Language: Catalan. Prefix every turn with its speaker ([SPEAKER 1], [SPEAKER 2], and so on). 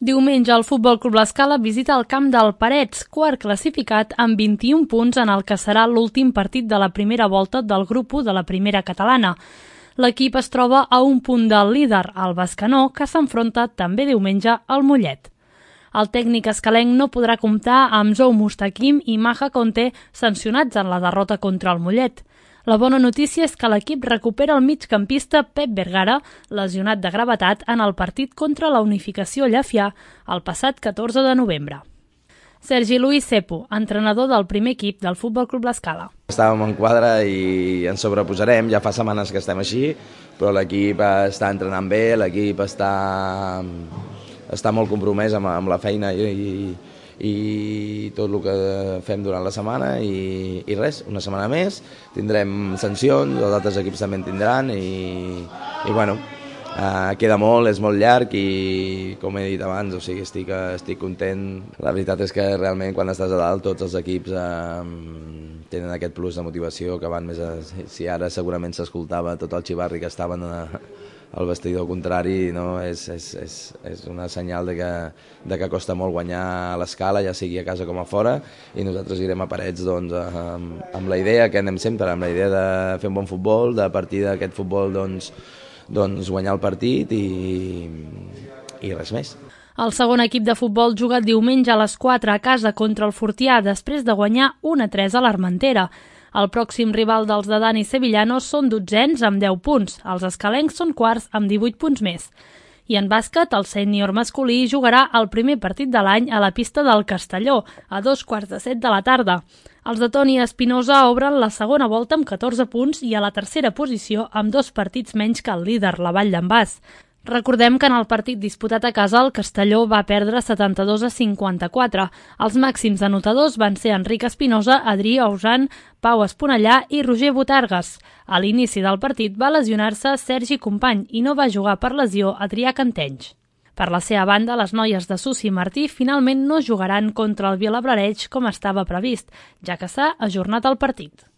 [SPEAKER 1] Diumenge el Futbol Club L'Escala visita el camp del Parets, quart classificat amb 21 punts en el que serà l'últim partit de la primera volta del grup 1 de la primera catalana. L'equip es troba a un punt del líder, el Bescanó, que s'enfronta també diumenge al Mollet. El tècnic escalenc no podrà comptar amb Zou Mustaquim i Maja Conte sancionats en la derrota contra el Mollet. La bona notícia és que l'equip recupera el migcampista Pep Vergara, lesionat de gravetat en el partit contra la Unificació Llefià el passat 14 de novembre. Sergi Luis Cepo, entrenador del primer equip del Futbol Club L'Escala.
[SPEAKER 2] Estàvem en quadre i ens sobreposarem, ja fa setmanes que estem així, però l'equip està entrenant bé, l'equip està molt compromès amb la feina i tot el que fem durant la setmana i res, una setmana més, tindrem sancions, els altres equips també en tindran i bueno, queda molt, és molt llarg i com he dit abans, o sigui, estic content. La veritat és que realment quan estàs a dalt tots els equips tenen aquest plus de motivació que van més si ara segurament s'escoltava tot el xivarri que estaven al vestidor contrari, no? És una senyal de que costa molt guanyar a l'Escala, ja sigui a casa com a fora, i nosaltres irem a Parets doncs, amb la idea que anem sempre, amb la idea de fer un bon futbol, de partir d'aquest futbol doncs guanyar el partit i res més.
[SPEAKER 1] El segon equip de futbol juga diumenge a les 4 a casa contra el Fortià després de guanyar 1-3 a l'Armentera. El pròxim rival dels de Dani Sevillanos són 12ens amb 10 punts. Els escalencs són quarts amb 18 punts més. I en bàsquet, el sènior masculí jugarà el primer partit de l'any a la pista del Castelló, a 2:45 de la tarda. Els de Toni Espinosa obren la segona volta amb 14 punts i a la tercera posició amb 2 partits menys que el líder, la Vall d'en Bas. Recordem que en el partit disputat a casa el Castelló va perdre 72-54. Els màxims anotadors van ser Enric Espinosa, Adrià Ausan, Pau Esponellà i Roger Botargues. A l'inici del partit va lesionar-se Sergi Company i no va jugar per lesió Adrià Cantenys. Per la seva banda, les noies de Susi Martí finalment no jugaran contra el Vilablareix com estava previst, ja que s'ha ajornat el partit.